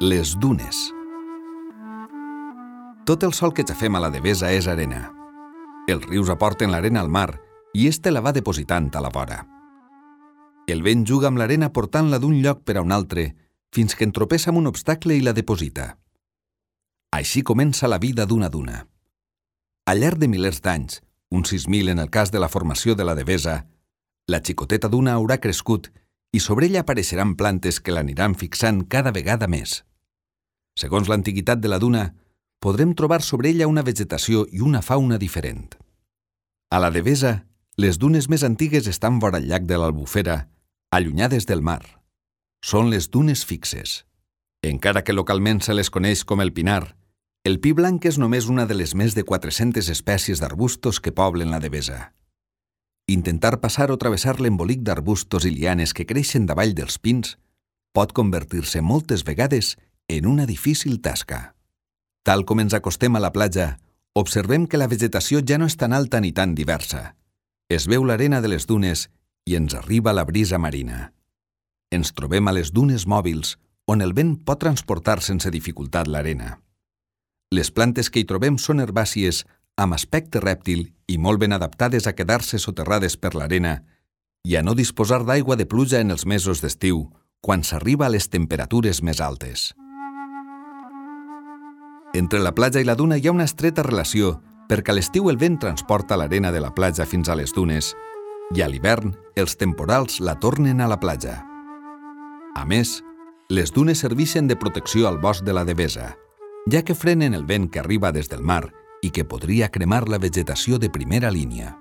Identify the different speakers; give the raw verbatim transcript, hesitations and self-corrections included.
Speaker 1: Les dunes. Tot el sol que xafem a la Devesa és arena. Els rius aporten l'arena al mar i éste la va depositant a la vora. El vent juga amb l'arena portant-la d'un lloc per a un altre fins que entropessa amb un obstacle i la deposita. Així comença la vida d'una duna. Al llarg de milers d'anys, uns sis mil en el cas de la formació de la Devesa, la xicoteta duna haurà crescut i sobre ella apareixeran plantes que l'aniran fixant cada vegada més. Segons l'antiguitat de la duna, podrem trobar sobre ella una vegetació i una fauna diferent. A la Devesa, les dunes més antigues estan vora el llac de l'Albufera, allunyades del mar. Són les dunes fixes. Encara que localment se les coneix com el pinar, el pi blanc és només una de les més de quatre-centes espècies d'arbustos que poblen la Devesa. Intentar passar o travessar l'embolic d'arbustos i lianes que creixen davall dels pins pot convertir-se moltes vegades en una difícil tasca. Tal com ens acostem a la platja, observem que la vegetació ja no és tan alta ni tan diversa. Es veu l'arena de les dunes i ens arriba la brisa marina. Ens trobem a les dunes mòbils, on el vent pot transportar sense dificultat l'arena. Les plantes que hi trobem són herbàcies amb aspecte rèptil i molt ben adaptades a quedar-se soterrades per l'arena i a no disposar d'aigua de pluja en els mesos d'estiu, quan s'arriba a les temperatures més altes. Entre la platja i la duna hi ha una estreta relació perquè a l'estiu el vent transporta l'arena de la platja fins a les dunes i a l'hivern els temporals la tornen a la platja. A més, les dunes serveixen de protecció al bosc de la Devesa, ja que frenen el vent que arriba des del mar i que podria cremar la vegetació de primera línia.